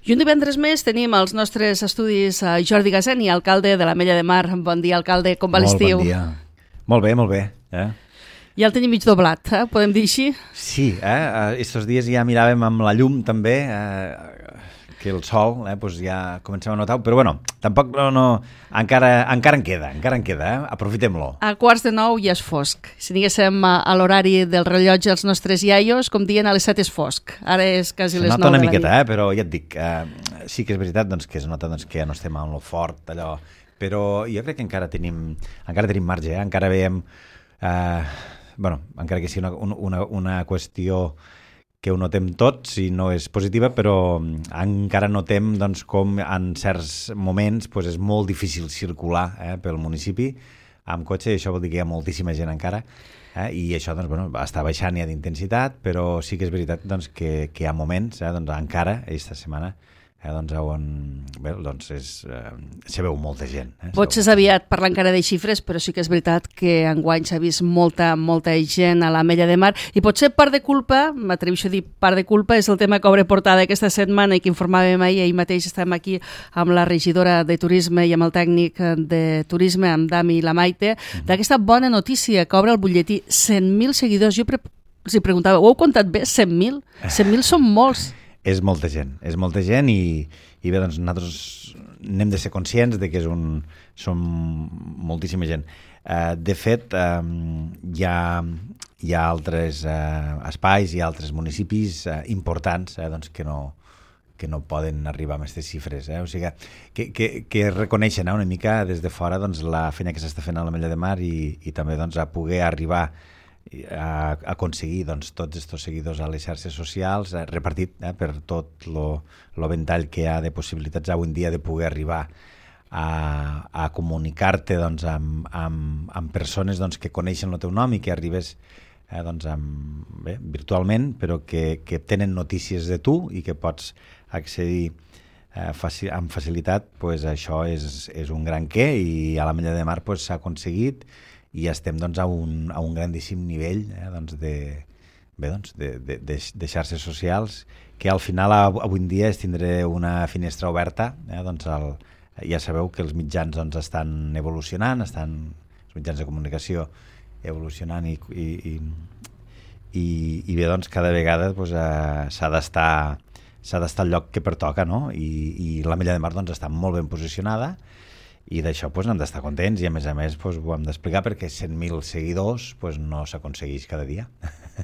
I un divendres més tenim als nostres estudis Jordi Gaseni, alcalde de l'Ametlla de Mar. Bon dia, alcalde, com va l'estiu? Molt bon dia. Molt bé, molt bé. Ja el tenim mig doblat, podem dir així? Sí, estos dies ja miràvem amb la llum també, que el sol pues ja comencem a notar, però bueno, tampoc encara en queda, aprofitem-lo. A 8:45 ja és fosc. Si diguéssim a l'horari del rellotge els nostres iaios, com diuen, a les 7 és fosc. Ara és quasi les 9 de la nit. Se nota una miqueta, però ja et dic, sí que és veritat que es nota que ja no estem en lo fort, allò, però jo crec que encara tenim marge, encara veiem, encara que sigui una qüestió que ho notem tots i no és positiva, però encara notem com en certs moments és molt difícil circular pel municipi amb cotxe, i això vol dir que hi ha moltíssima gent encara, i això està baixant ja d'intensitat, però sí que és veritat que hi ha moments, encara aquesta setmana, on se veu molta gent. Potser és aviat parlar encara de xifres, però sí que és veritat que enguany s'ha vist molta gent a l'Ametlla de Mar, i potser part de culpa, m'atreveixo a dir part de culpa, és el tema que obre portada aquesta setmana i que informàvem ahir mateix estem aquí amb la regidora de Turisme i amb el tècnic de Turisme, amb Dami i la Maite, d'aquesta bona notícia que obre el butlletí. 100.000 seguidors. Jo els preguntava, ho heu comptat bé? 100.000? 100.000 són molts. És molta gent i bé, nosaltres n'hem de ser conscients de que som moltíssima gent. De fet, hi ha altres espais i altres municipis importants que no poden arribar a aquestes xifres. O sigui, que reconeixen una mica des de fora la feina que s'està fent a l'Ametlla de Mar i també a poder arribar a aconseguir tots aquests seguidors a les xarxes socials, repartit per tot el ventall que hi ha de possibilitats avui en dia de poder arribar a comunicar-te amb persones que coneixen el teu nom i que arribes virtualment, però que tenen notícies de tu i que pots accedir amb facilitat. Això és un gran què, i a l'Ametlla de Mar s'ha aconseguit, i estem a un grandíssim nivell de xarxes socials, que al final avui en dia és tindre una finestra oberta. Ja sabeu que els mitjans estan evolucionant, els mitjans de comunicació evolucionant, i bé, cada vegada s'ha d'estar al lloc que pertoca, no? I l'Ametlla de Mar està molt ben posicionada, i d'això n'hem d'estar contents, i a més ho hem d'explicar, perquè 100.000 seguidors no s'aconsegueix cada dia.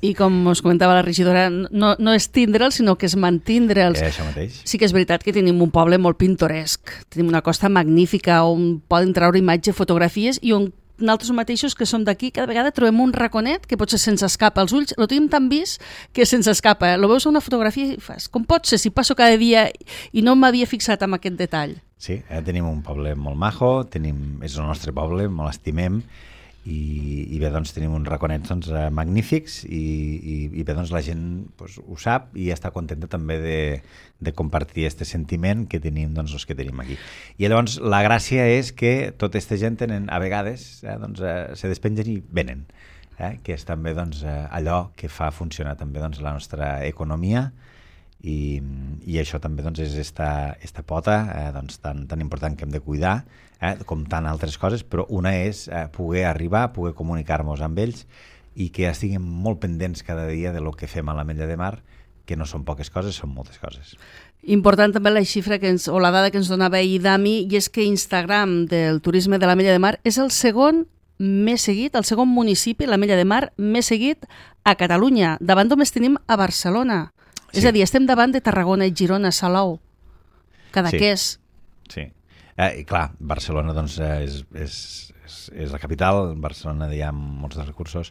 I com us comentava la regidora, no és tindre'ls, sinó que és mantindre'ls. Això mateix. Sí que és veritat que tenim un poble molt pintoresc, tenim una costa magnífica on poden treure imatge, fotografies, i on nosaltres mateixos que som d'aquí cada vegada trobem un raconet que potser se'ns escapa als ulls, lo tenim tan vist que se'ns escapa. Lo veus a una fotografia i fas, com pot ser si passo cada dia i no m'havia fixat en aquest detall? Sí, tenim un poble molt majo, és el nostre poble, molt estimem, i bé, tenim uns raconets magnífics, i bé, la gent ho sap i està contenta també de compartir aquest sentiment que tenim els que tenim aquí. I llavors la gràcia és que tota aquesta gent a vegades se despengen i venen, que és també allò que fa funcionar també la nostra economia, i això també és esta pota tan important que hem de cuidar, com tant altres coses, però una és poder arribar, poder comunicar-nos amb ells, i que estiguem molt pendents cada dia de lo que fem a l'Ametlla de Mar, que no són poques coses, són moltes coses. Important també la xifra o la dada que ens donava ahir Dami, i és que Instagram del turisme de l'Ametlla de Mar és el segon més seguit, el segon municipi, l'Ametlla de Mar, més seguit a Catalunya. Davant només tenim a Barcelona. Sí. És a dir, estem davant de Tarragona, Girona, Salou, Cadaqués. Sí. I clar, Barcelona és la capital, Barcelona hi ha molts dels recursos.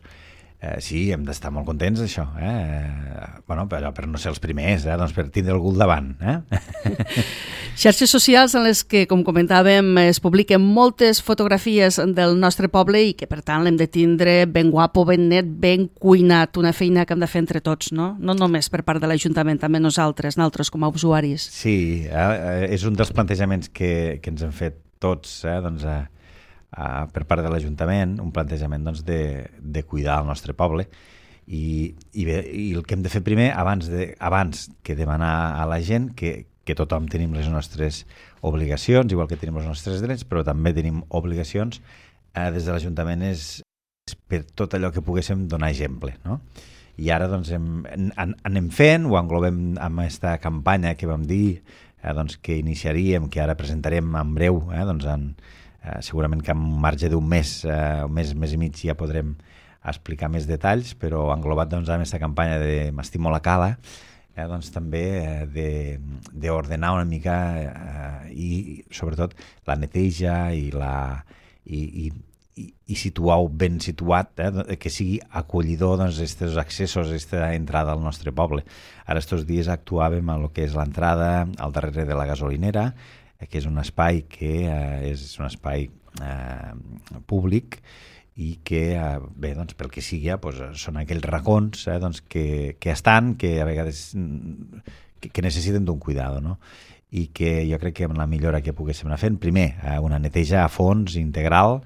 Sí, hem d'estar molt contents d'això, però per no ser els primers, per tindre algú al davant. Xarxes socials en les que, com comentàvem, es publiquen moltes fotografies del nostre poble i que, per tant, l'hem de tindre ben guapo, ben net, ben cuinat, una feina que hem de fer entre tots, no? No només per part de l'Ajuntament, també nosaltres com a usuaris. Sí, és un dels plantejaments que ens hem fet tots, per part de l'Ajuntament, un plantejament de cuidar el nostre poble, i el que hem de fer primer, abans que demanar a la gent que que tothom tenim les nostres obligacions, igual que tenim els nostres drets, però també tenim obligacions des de l'Ajuntament és per tot allò que poguéssim donar exemple, no? I ara doncs anem fent, ho englobem amb aquesta campanya que vam dir doncs, que iniciaríem, que ara presentarem en breu, doncs segurament que en un marge d'un mes, mes i mig ja podrem explicar més detalls, però englobat doncs, amb aquesta campanya de M'estimo la cala, doncs també d'ordenar una mica i sobretot la neteja i situar-ho ben situat, que sigui acollidor aquests accessos, aquesta entrada al nostre poble. Ara estos dies actuàvem a lo que és l'entrada al darrere de la gasolinera, que és un espai que és un espai públic i que, bé, doncs, pel que sigui, són aquells racons que estan, que a vegades que necessiten d'un cuidado, no? I que jo crec que amb la millora que poguéssim anar fent, primer, una neteja a fons integral,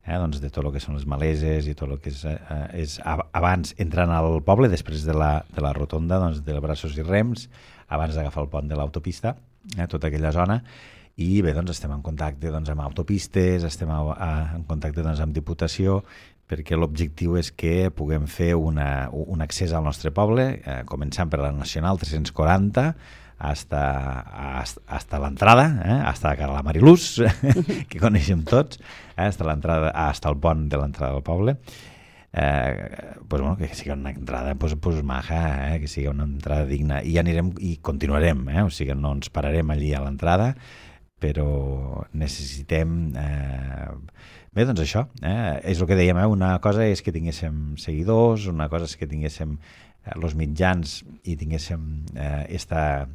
doncs de tot el que són les maleses i tot el que és abans entrant al poble, després de la rotonda doncs, de Braços i Rems, abans d'agafar el pont de l'autopista, tota aquella zona. I bé, doncs estem en contacte amb autopistes, estem en contacte amb Diputació, perquè l'objectiu és que puguem fer un accés al nostre poble, començant per la Nacional 340, hasta l'entrada, hasta la Mariluz, que coneixem tots, hasta el pont de l'entrada del poble. Que sigui una entrada maja, que sigui una entrada digna, i anirem i continuarem, o sigui, no ens pararem allí a l'entrada, però necessitem bé, doncs això, és el que dèiem, una cosa és que tinguéssim seguidors, una cosa és que tinguéssim els mitjans i tinguéssim esta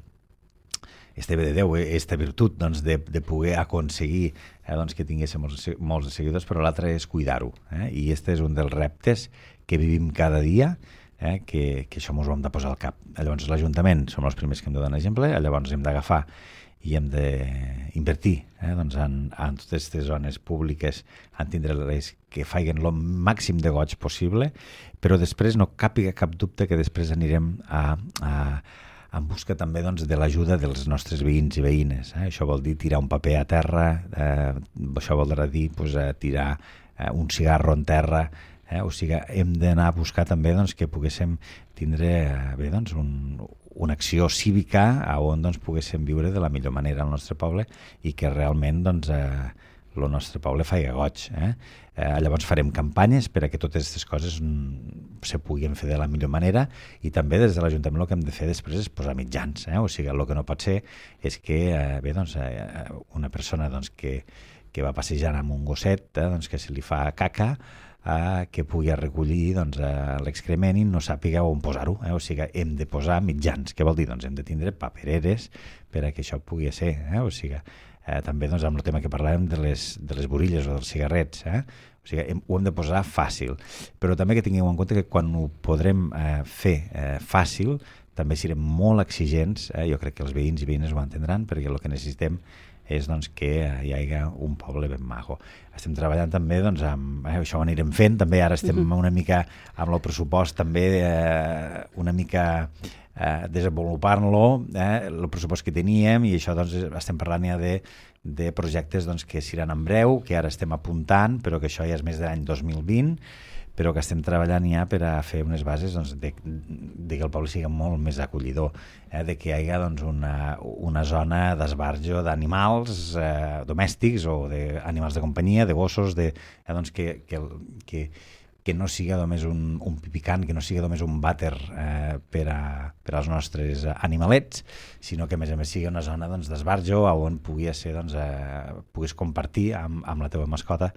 bé de Déu, esta virtut doncs, de poder aconseguir doncs, que tinguéssim molts seguidors, però l'altre és cuidar-ho, i este és un dels reptes que vivim cada dia, que això ens ho hem de posar al cap. Llavors l'Ajuntament som els primers que hem de donar exemple, llavors hem d'agafar i hem d'invertir doncs en totes aquestes zones públiques, en tindre-les que faiguen el màxim de goig possible, però després no càpiga cap dubte que després anirem en busca també doncs, de l'ajuda dels nostres veïns i veïnes. Això vol dir tirar un paper a terra, això vol dir tirar un cigarro en terra, o sigui, hem d'anar a buscar també doncs, que poguéssim tindre doncs, una acció cívica on doncs, poguéssim viure de la millor manera al nostre poble i que realment doncs, el nostre poble faci goig. Llavors farem campanyes per a que totes aquestes coses se puguin fer de la millor manera, i també des de l'Ajuntament el que hem de fer després és posar mitjans. O sigui, el que no pot ser és que doncs, una persona doncs, que va passejant amb un gosset doncs, que se li fa caca, que pugui recollir doncs, l'excrement i no sàpiga on posar-ho. O sigui, hem de posar mitjans. Què vol dir? Doncs hem de tindre papereres per a que això pugui ser. O sigui, també doncs, amb el tema que parlàvem de les borilles o dels cigarrets. O sigui, ho hem de posar fàcil. Però també que tingueu en compte que quan ho podrem fer fàcil, també serem molt exigents. Jo crec que els veïns i veïnes ho entendran, perquè el que necessitem és doncs, que hi hagi un poble ben maco. Estem treballant també, doncs, això ho anirem fent, també ara estem una mica amb el pressupost també una mica desenvolupant-lo, el pressupost que teníem, i això doncs, estem parlant ja de projectes doncs, que seran en breu, que ara estem apuntant, però que això ja és més de l'any 2020, però que estem treballant ja per a fer unes bases doncs, de que el poble sigui molt més acollidor, de que hi hagi doncs, una zona d'esbarjo d'animals domèstics o d'animals de companyia, de gossos, doncs, que no sigui només un pipicant, que no sigui només un vàter per als nostres animalets, sinó que a més sigui una zona doncs, d'esbarjo on puguis compartir amb la teva mascota,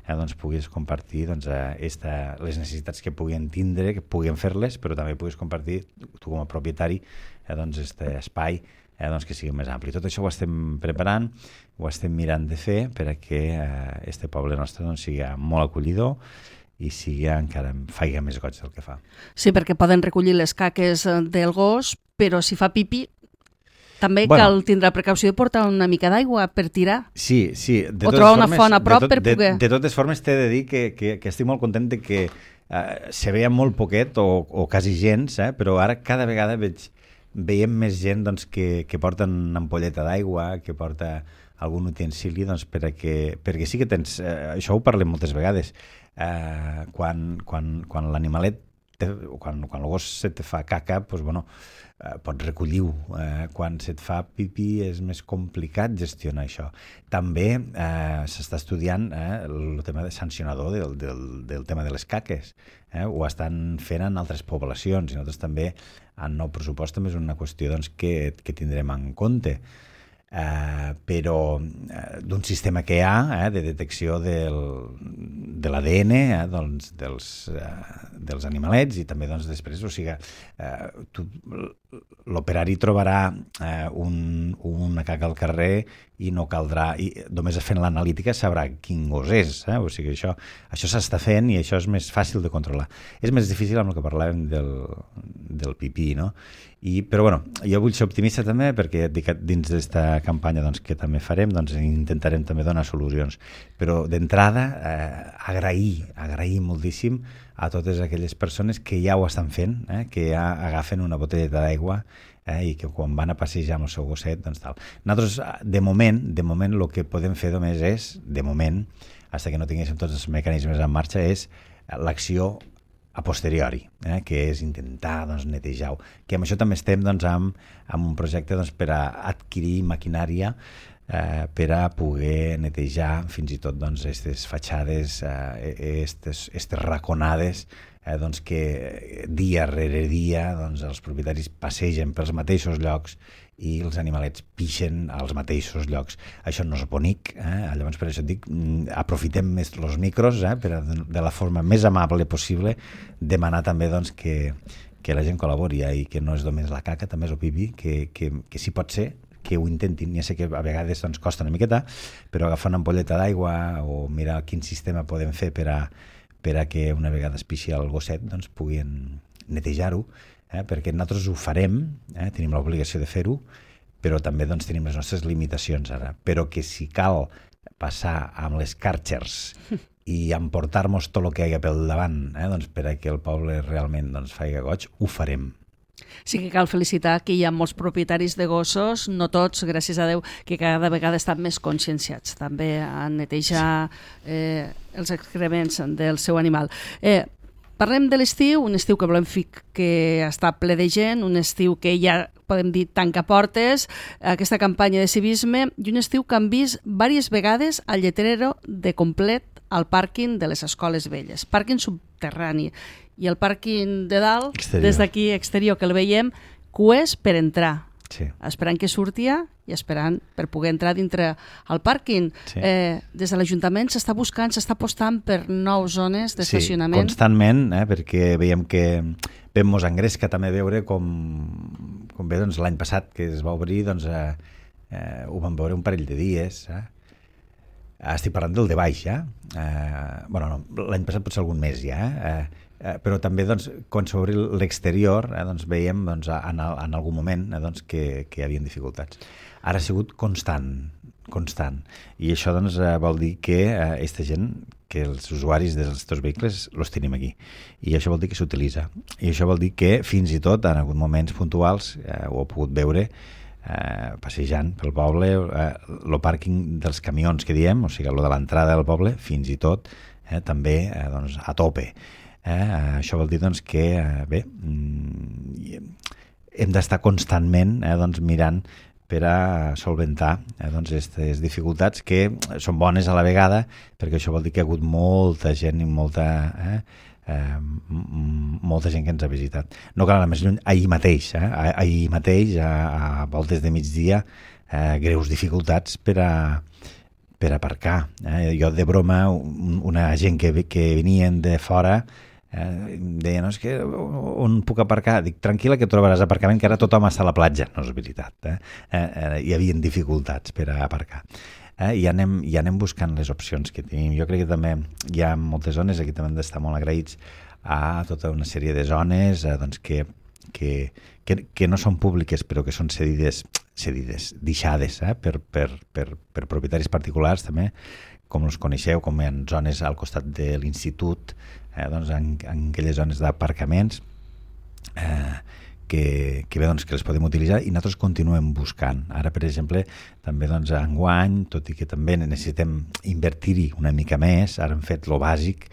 doncs, puguis compartir doncs, les necessitats que puguin tindre, que puguin fer-les, però també puguis compartir tu com a propietari doncs, espai doncs, que sigui més ampli. Tot això ho estem preparant, ho estem mirant de fer per a que este poble nostre doncs, sigui molt acollidor i sigui encara faci més goig del que fa. Sí, perquè poden recollir les caques del gos, però si fa pipi també cal tindre precaució de portar una mica d'aigua per tirar. Sí. O trobar una font a prop per poder... De totes formes, t'he de dir que estic molt content de que se veia molt poquet o quasi gens, però ara cada vegada veig veiem més gent doncs, que porta una ampolleta d'aigua, que porta algun utensili, doncs, perquè sí que tens... això ho parlem moltes vegades. Quan l'animalet, quan el gos se te fa caca, doncs, bueno, pots recollir-ho. Quan se't fa pipí és més complicat gestionar això. També s'està estudiant el tema de sancionador del tema de les caques. Ho estan fent en altres poblacions i nosaltres també en nou pressupost també és una qüestió doncs, que tindrem en compte. Però d'un sistema que hi ha de detecció de l'ADN doncs, dels animalets i també doncs, després, o sigui, l'operari trobarà una caca al carrer i no caldrà, i només fent l'analítica sabrà quin gos és, o sigui, això s'està fent i això és més fàcil de controlar. És més difícil amb el que parlàvem del pipí, no? Però bueno, jo vull ser optimista també perquè dins d'esta campanya doncs, que també farem doncs, intentarem també donar solucions, però d'entrada agrair moltíssim a totes aquelles persones que ja ho estan fent, que ja agafen una botelleta d'aigua i que quan van a passejar amb el seu gosset, doncs tal. Nosaltres, de moment, el que podem fer només és, de moment, fins que no tinguéssim tots els mecanismes en marxa, és l'acció a posteriori, que és intentar doncs, netejar-ho. Que amb això també estem doncs, amb un projecte doncs, per a adquirir maquinària per a poder netejar fins i tot doncs, aquestes fatxades, aquestes raconades doncs, que dia rere dia doncs, els propietaris passegen pels mateixos llocs i els animalets pixen als mateixos llocs. Això no és bonic, llavors per això et dic, aprofitem més els micros per de la forma més amable possible demanar també doncs, que la gent col·labori i que no és només la caca, també és el pipí, que sí pot ser, que ho intentin. Ja sé que a vegades doncs, costa una miqueta, però agafar una ampolleta d'aigua o mirar quin sistema podem fer per a que una vegada es pixi el gosset doncs, puguin netejar-ho, perquè nosaltres ho farem, tenim l'obligació de fer-ho, però també doncs, tenim les nostres limitacions ara. Però que si cal passar amb les Kärchers i emportar-nos tot el que hi ha pel davant doncs, per a que el poble realment doncs, faci goig, ho farem. Sí que cal felicitar que hi ha molts propietaris de gossos, no tots, gràcies a Déu, que cada vegada estan més conscienciats també a netejar els excrements del seu animal. Parlem de l'estiu, un estiu que volem que està ple de gent, un estiu que ja podem dir tanca portes, aquesta campanya de civisme, i un estiu que han vist diverses vegades al lletrero de complet al pàrquing de les escoles velles, pàrquing subterrani, i el pàrquing de dalt, exterior. Des d'aquí exterior, que el veiem, cues per entrar, esperant que surtia i esperant per poder entrar dintre el pàrquing. Des de l'Ajuntament s'està buscant, s'està apostant per nous zones d'estacionament. Sí, constantment, perquè veiem que vam mos engresca també veure com bé doncs, l'any passat que es va obrir, doncs, ho vam veure un parell de dies. Estic parlant del de baix, ja. L'any passat potser algun mes ja, però també doncs, quan s'obri l'exterior doncs, veiem doncs, en algun moment doncs, que hi havia dificultats. Ara ha sigut constant, i això doncs, vol dir que aquesta gent, que els usuaris dels teus vehicles els tenim aquí, i això vol dir que s'utilitza, i això vol dir que fins i tot en alguns moments puntuals ho he pogut veure passejant pel poble, el pàrquing dels camions que diem, o sigui, el de l'entrada del poble, fins i tot també doncs, a tope. Això vol dir doncs, que hem d'estar constantment doncs, mirant per a solventar aquestes dificultats que són bones a la vegada, perquè això vol dir que hi ha hagut molta gent i molta gent que ens ha visitat. No cal anar més lluny, ahir mateix, a voltes de migdia, greus dificultats per aparcar. Jo de broma, una gent que venien de fora deia, no, és que on puc aparcar? Dic, tranquil·la que trobaràs aparcament, que ara tothom està a la platja. No és veritat, hi havia dificultats per a aparcar. I anem buscant les opcions que tenim. Jo crec que també hi ha moltes zones, aquí també hem d'estar molt agraïts a tota una sèrie de zones doncs, que no són públiques però que són cedides, deixades per propietaris particulars també, com els coneixeu, com hi ha zones al costat de l'institut, doncs en aquelles zones d'aparcaments que bé, doncs, que les podem utilitzar i nosaltres continuem buscant. Ara, per exemple, també doncs, enguany, tot i que també necessitem invertir-hi una mica més, ara hem fet lo bàsic,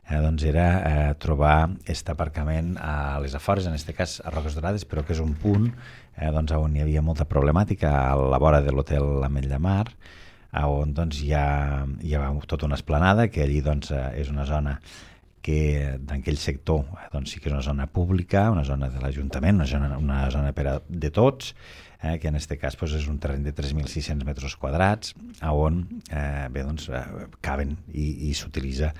doncs era trobar aquest aparcament a les afores, en aquest cas a Roques Dorades, però que és un punt doncs, on hi havia molta problemàtica a la vora de l'hotel Ametlla Mar, on doncs, hi ha tota una esplanada, que allí doncs, és una zona que d'aquell sector doncs, sí que és una zona pública, una zona de l'Ajuntament, una zona de tots, que en aquest cas doncs, és un terreny de 3.600 metres quadrats, on bé, doncs, caben i s'utilitza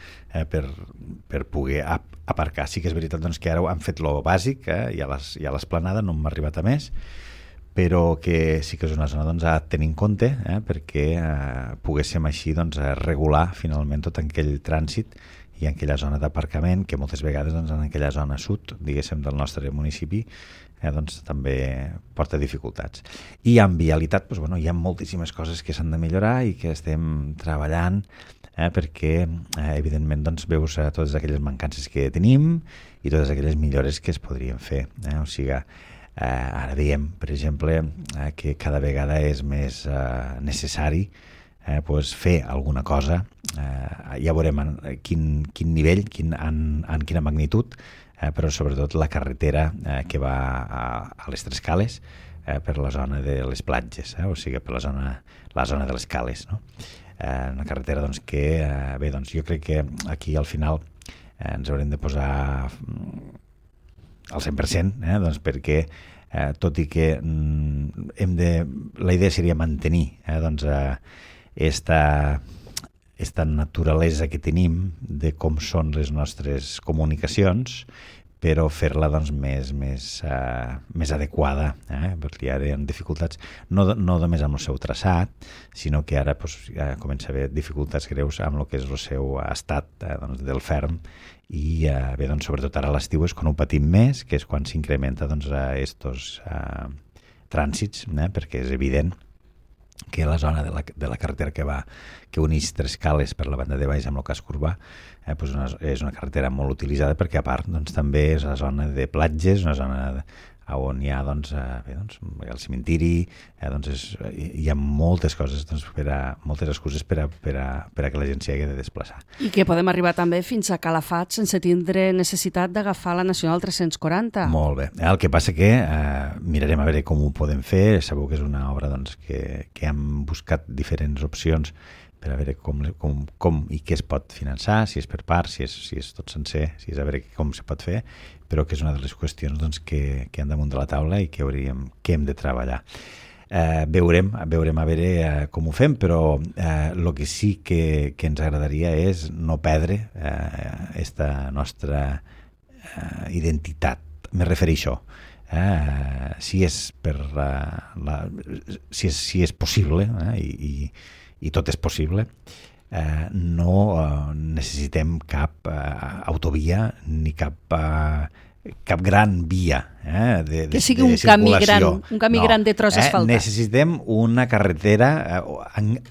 per poder aparcar. Sí que és veritat doncs, que ara han fet lo bàsic, i a l'esplanada no hem arribat a més, però que sí que és una zona doncs, a tenir en compte perquè poguéssim així doncs, regular finalment tot aquell trànsit i en aquella zona d'aparcament que moltes vegades doncs, en aquella zona sud, diguéssim, del nostre municipi, doncs, també porta dificultats. I en vialitat doncs, bueno, hi ha moltíssimes coses que s'han de millorar i que estem treballant perquè, evidentment, doncs, veus totes aquelles mancances que tenim i totes aquelles millores que es podrien fer. O sigui, ara veiem, per exemple, que cada vegada és més necessari pues fer alguna cosa, ja veurem en quin nivell, en quina magnitud, però sobretot la carretera que va a les Tres Cales per la zona de les platges, o sigui, per la zona de les cales, no? Una carretera doncs, que, bé, doncs, jo crec que aquí al final ens haurem de posar al 100%, doncs, perquè tot i que la idea seria mantenir doncs, esta naturalesa que tenim de com són les nostres comunicacions, però fer-la doncs, més adequada, perquè ara hi ha dificultats, no només amb el seu traçat, sinó que ara comença a haver dificultats greus amb el que és el seu estat doncs, del ferm, i bé, doncs, sobretot ara a l'estiu és quan ho patim més, que és quan s'incrementa doncs, estos trànsits, perquè és evident que la zona de la carretera que uneix Tres Cales per la banda de baix amb el casc urbà és una carretera molt utilitzada perquè a part doncs, també és una zona de platges, una zona on hi ha doncs, el cementiri, doncs hi ha moltes coses, doncs, moltes excuses per a que la gent s'hi hagi de desplaçar. I que podem arribar també fins a Calafat sense tindre necessitat d'agafar la Nacional 340. Molt bé. El que passa que mirarem a veure com ho podem fer. Sabeu que és una obra doncs, que hem buscat diferents opcions per a veure com i què es pot finançar, si és per part, si és tot sencer, si és a veure com se pot fer, però que és una de les qüestions doncs, que han damunt de la taula i que hem de treballar. Veurem a veure com ho fem, però el que sí que ens agradaria és no perdre esta nostra identitat. Me refereixo a això. Si és possible, i tot és possible, no necessitem cap autovia ni cap gran via de que sigui un camí gran de tros asfaltat. Necessitem una carretera,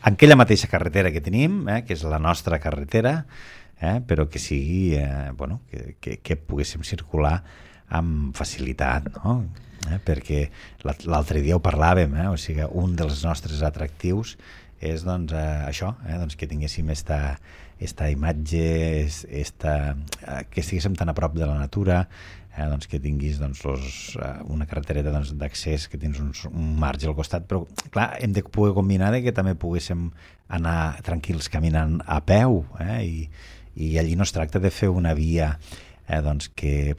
aquella mateixa carretera que tenim, que és la nostra carretera, però que sigui, que poguéssim circular amb facilitat, no? Perquè l'altre dia ho parlàvem, o sigui, un dels nostres atractius és doncs, això, doncs, que tinguéssim esta imatge, que estiguéssim tan a prop de la natura, doncs, que tinguis doncs, una carretereta d'accés, que tens un marge al costat, però clar, hem de poder combinar que també poguéssim anar tranquils caminant a peu, i allí no es tracta de fer una via doncs, que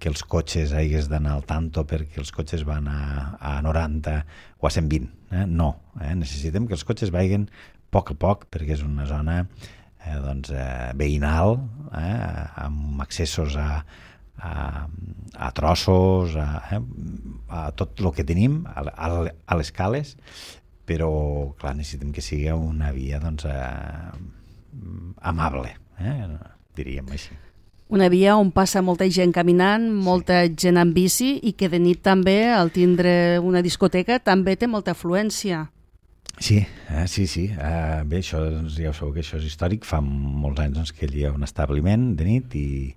els cotxes hagués d'anar al tanto perquè els cotxes van a 90 o a 120. No, necessitem que els cotxes vagin a poc perquè és una zona doncs, veïnal, amb accessos a trossos, a tot el que tenim, a les cales, però clar, necessitem que sigui una via doncs, amable, diríem així. Una via on passa molta gent caminant, molta gent en bici i que de nit també, al tindre una discoteca, també té molta afluència. Sí. Bé, això, doncs, ja ho sabeu que això és històric. Fa molts anys doncs, que hi ha un establiment de nit i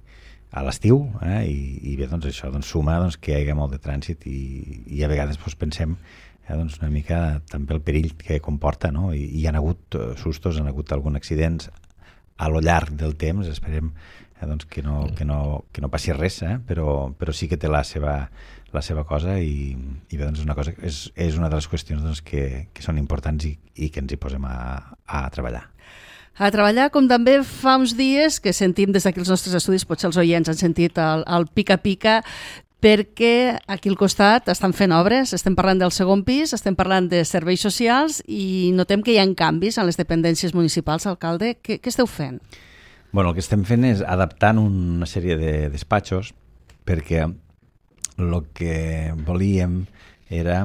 a l'estiu, i bé, doncs això suma que hi hagi molt de trànsit i a vegades pensem una mica també el perill que comporta, no? I hi ha hagut sustos, hi ha hagut alguns accidents a lo llarg del temps, esperem que no passi res, però sí que té la seva cosa i bé, és una cosa, és una de les qüestions que són importants i que ens hi posem a treballar. A treballar, com també fa uns dies que sentim des d'aquí els nostres estudis, potser els oients han sentit el pica-pica, perquè aquí al costat estan fent obres, estem parlant del segon pis, estem parlant de serveis socials i notem que hi ha canvis en les dependències municipals, alcalde. Què esteu fent? Bueno, el que estem fent és adaptant una sèrie de despatxos perquè el que volíem era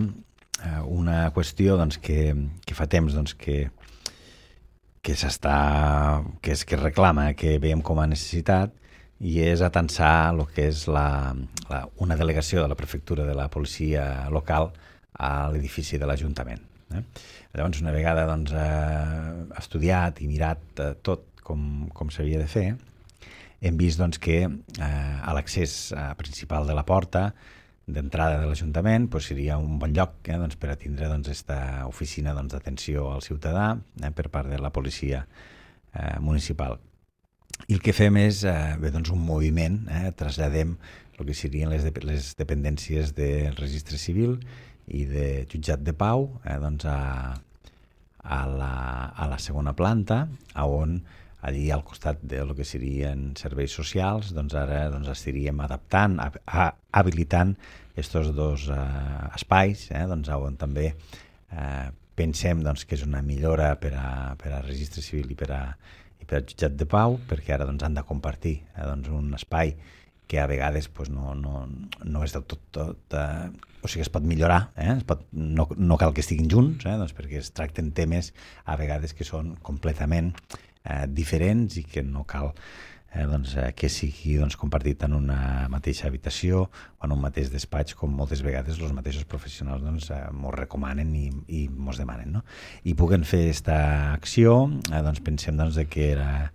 una qüestió que fa temps que es reclama, que veiem com a necessitat, i és atansar el que és una delegació de la prefectura de la policia local a l'edifici de l'Ajuntament. Llavors, una vegada estudiat i mirat tot com s'havia de fer, hem vist que a l'accés principal de la porta d'entrada de l'Ajuntament seria un bon lloc per a tindre aquesta oficina d'atenció al ciutadà per part de la policia municipal. I el que fem és un moviment, traslladem el que serien les dependències del registre civil i de jutjat de pau a la segona planta, on allí al costat del que serien serveis socials, ara estaríem adaptant, habilitant aquests dos espais, on també pensem que és una millora per a registre civil i per a jutjat de pau, perquè ara han de compartir un espai que a vegades no és del tot o sigui, es pot millorar, no cal que estiguin junts, perquè es tracten temes a vegades que són completament diferents i que no cal que sigui compartit en una mateixa habitació o en un mateix despatx, com moltes vegades els mateixos professionals mos recomanen i mos demanen, no? I puguen fer aquesta acció, pensem que era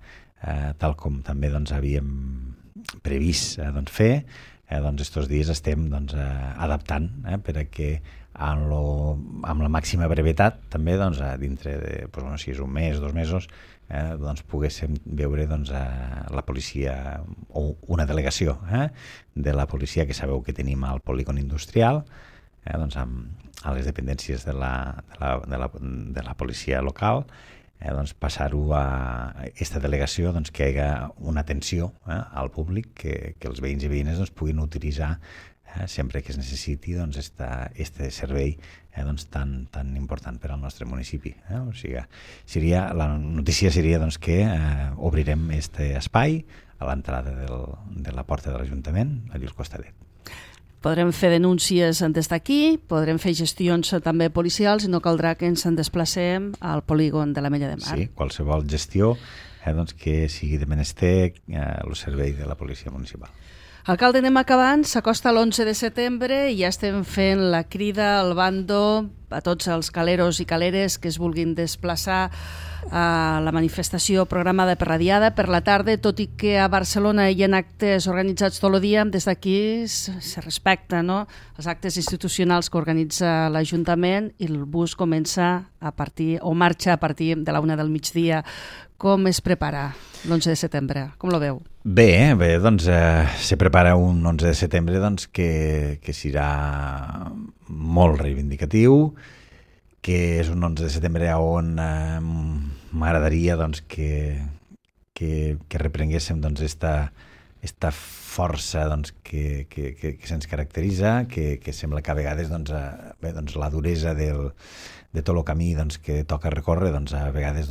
tal com també havíem previst fer, estos dies estem adaptant per a que amb la màxima brevetat també dintre de si és un mes, 2 mesos, poguéssim veure la policia o una delegació de la policia que sabeu que tenim al polígon industrial, a les dependències de la policia local, passar-ho a aquesta delegació que hi hagi una atenció al públic que els veïns i veïnes puguin utilitzar sempre que es necessiti este servei tan important per al nostre municipi. O sigui, la notícia seria que obrirem aquest espai a l'entrada de la porta de l'Ajuntament, allà al costadet. Podrem fer denúncies des d'aquí, podrem fer gestions també policials i no caldrà que ens en desplacem al polígon de l'Ametlla de Mar. Sí, qualsevol gestió que sigui de menester el servei de la policia municipal. Alcalde, anem acabant, s'acosta l'11 de setembre i ja estem fent la crida al bando a tots els caleros i caleres que es vulguin desplaçar a la manifestació programada per la Diada per la tarda, tot i que a Barcelona hi ha actes organitzats tot el dia, des d'aquí se respecta, no?, els actes institucionals que organitza l'Ajuntament i el bus comença a partir, o marxa a partir de la 1 del migdia. Com es prepara l'11 de setembre? Com lo veu? Bé, se prepara un 11 de setembre que serà molt reivindicatiu, que és un 11 de setembre on m'agradaria que reprenguéssim esta força que se'ns caracteritza, que sembla que a vegades la duresa de tot el camí que toca recórrer a vegades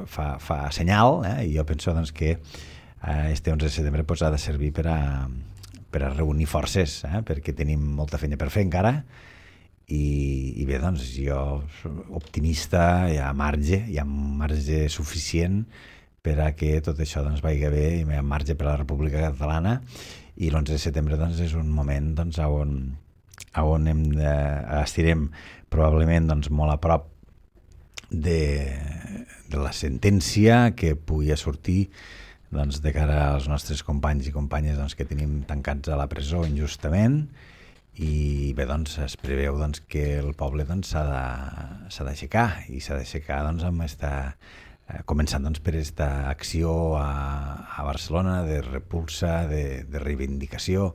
fa senyal, i jo penso que este 11 de setembre ha de servir per a reunir forces, perquè tenim molta feina per fer encara, i bé, jo optimista, hi ha marge suficient per a que tot això vagi bé, i hi ha marge per a la República Catalana, i l'11 de setembre és un moment on estirem probablement molt a prop de la sentència que pugui sortir doncs, de cara als nostres companys i companyes doncs, que tenim tancats a la presó injustament, i bé, doncs, es preveu doncs, que el poble doncs, s'ha d'aixecar, i s'ha d'aixecar doncs, començant doncs, per aquesta acció a Barcelona de repulsa, de reivindicació,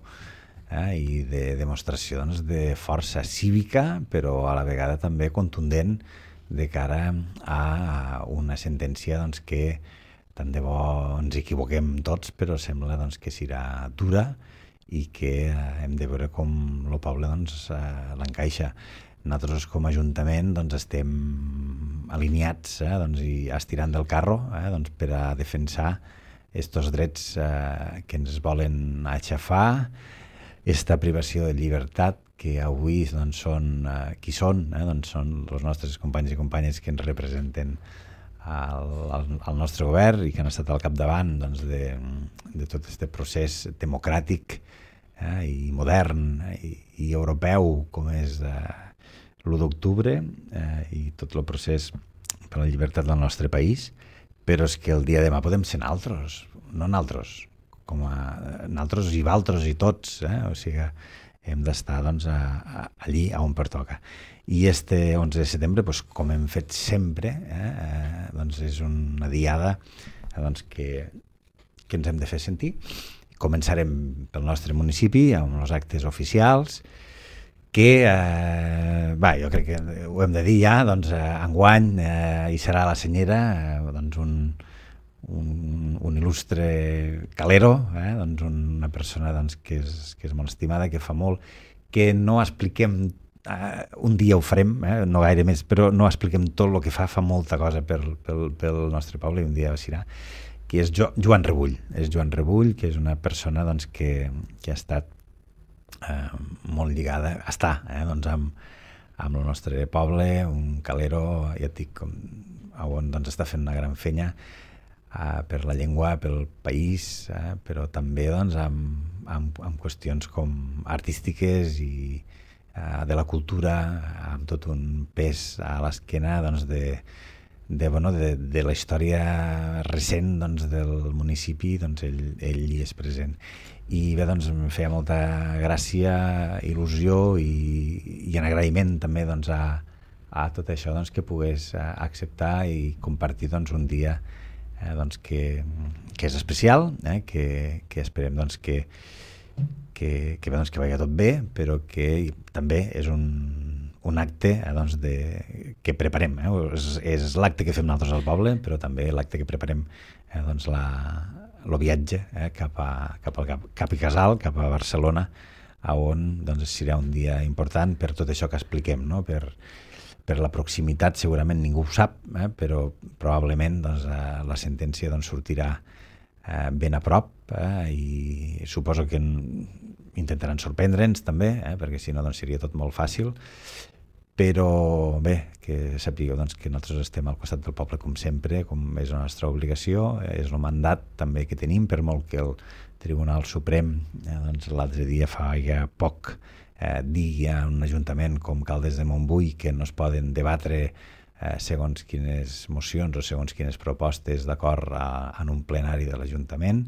i de demostració doncs, de força cívica, però a la vegada també contundent de cara a una sentència doncs, que tant de bo ens equivoquem tots, però sembla doncs, que serà dura i que hem de veure com el poble doncs, l'encaixa. Nosaltres com a Ajuntament doncs, estem alineats doncs, i estirant del carro doncs, per a defensar aquests drets que ens volen aixafar, aquesta privació de llibertat que avui doncs, són qui són, doncs són els nostres companys i companyes que ens representen al nostre govern i que han estat al capdavant doncs, de tot aquest procés democràtic i modern i europeu com és l'1 d'octubre i tot el procés per la llibertat del nostre país, però és que el dia de demà podem ser naltros, no naltros, com a naltros i valtros i tots, o sigui hem d'estar doncs, allí on pertoca. I este 11 de setembre, doncs, com hem fet sempre, doncs és una diada doncs, que ens hem de fer sentir. Començarem pel nostre municipi amb els actes oficials que, jo crec que ho hem de dir ja, doncs, enguany hi serà a la Senyera doncs, un il·lustre calero, doncs una persona doncs, que és molt estimada, que fa molt, que no expliquem, un dia ho farem, no gaire més, però no expliquem tot el que fa molta cosa pel nostre poble, i un dia serà, que és Joan Rebull. És Joan Rebull, que és una persona doncs, que ha estat molt lligada, doncs, amb el nostre poble, un calero, ja et dic, on doncs, està fent una gran fenya per la llengua, pel país, però també doncs, amb qüestions com artístiques i de la cultura, amb tot un pes a l'esquena doncs, de la història recent doncs, del municipi, doncs, ell hi és present. I bé, doncs, em feia molta gràcia, il·lusió i en agraïment també doncs, a tot això doncs, que pogués acceptar i compartir doncs, un dia doncs, que és especial, que esperem doncs, que vagi tot bé, però que també és un acte doncs, que preparem. És l'acte que fem nosaltres al poble, però també l'acte que preparem doncs, el viatge cap a Casal, cap a Barcelona, on doncs, serà un dia important per tot això que expliquem, no? Per la proximitat, segurament ningú ho sap, però probablement doncs, la sentència doncs, sortirà ben a prop i suposo que intentaran sorprendre'ns també, perquè si no doncs, seria tot molt fàcil, però bé, que sapigueu doncs, que nosaltres estem al costat del poble com sempre, com és la nostra obligació, és el mandat també que tenim, per molt que el Tribunal Suprem doncs, l'altre dia fa ja poc digui a un ajuntament com Caldes de Montbui que no es poden debatre segons quines mocions o segons quines propostes d'acord en un plenari de l'Ajuntament,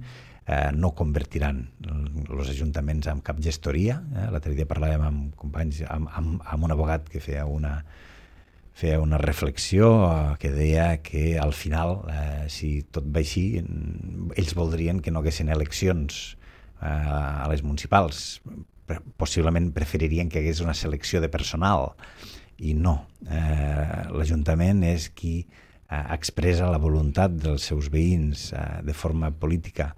no convertiran els ajuntaments en cap gestoria. L'altre dia parlàvem amb companys, amb un abogat que feia una reflexió que deia que al final, si tot va així, ells voldrien que no haguessin eleccions a les municipals. Possiblement preferirien que hi hagués una selecció de personal i no. L'Ajuntament és qui expressa la voluntat dels seus veïns de forma política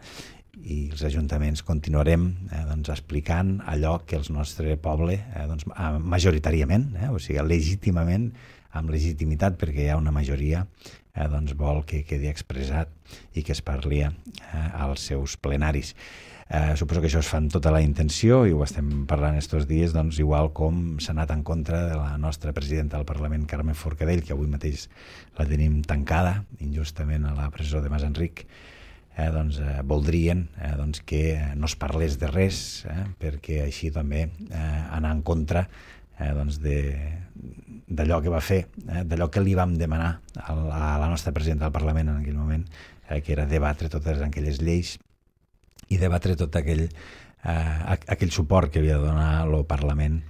i els ajuntaments continuarem doncs, explicant allò que el nostre poble doncs, majoritàriament, o sigui, legítimament, amb legitimitat, perquè hi ha una majoria doncs, vol que quedi expressat i que es parli als seus plenaris. Suposo que això es fa amb tota la intenció i ho estem parlant estos dies, doncs, igual com s'ha anat en contra de la nostra presidenta del Parlament, Carme Forcadell, que avui mateix la tenim tancada injustament a la presó de Masenric. Doncs, voldrien doncs, que no es parlés de res, perquè així també anar en contra doncs d'allò que va fer, d'allò que li vam demanar a la nostra presidenta del Parlament en aquell moment, que era debatre totes aquelles lleis i debatre tot aquell suport que havia de donar el Parlament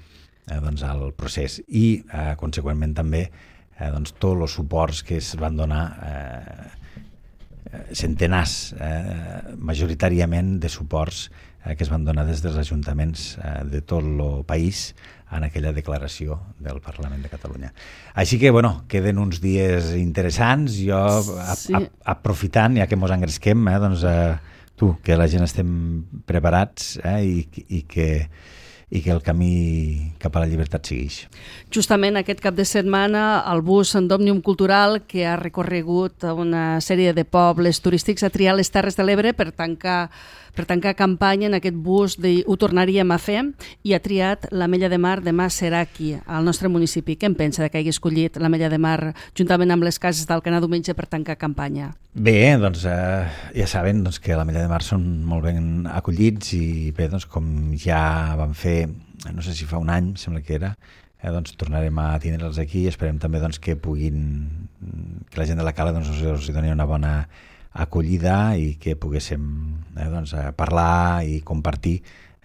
doncs, al procés i, conseqüentment, també doncs, tots els suports que es van donar, centenars, majoritàriament, de suports que es van donar des dels ajuntaments de tot el país en aquella declaració del Parlament de Catalunya. Així que, bueno, queden uns dies interessants. Jo, aprofitant, ja que mos engresquem, doncs, que la gent estem preparats i que el camí cap a la llibertat segueix. Justament aquest cap de setmana el bus d'Òmnium Cultural, que ha recorregut una sèrie de pobles turístics, ha triat les Terres de l'Ebre per tancar campanya en aquest bus de Ho tornaríem a fer, i ha triat l'Ametlla de Mar de Mas Serac, al nostre municipi. Què en pensa que hagi escollit l'Ametlla de Mar juntament amb les cases d'Alcanar diumenge per tancar campanya? Bé, doncs ja saben que l'Ametlla de Mar són molt ben acollits i bé, doncs com ja vam fer, no sé si fa un any, sembla que era, doncs tornarem a tindre'ls aquí i esperem també doncs, que la gent de la Cala doncs, us doni una bona acollida i que poguéssim doncs, parlar i compartir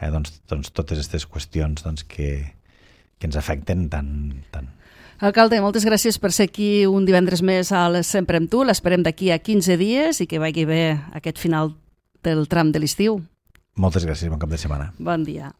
doncs, totes aquestes qüestions doncs, que ens afecten tant. Alcalde, moltes gràcies per ser aquí un divendres més a Sempre amb tu. L'esperem d'aquí a 15 dies i que vagi bé aquest final del tram de l'estiu. Moltes gràcies, bon cap de setmana. Bon dia.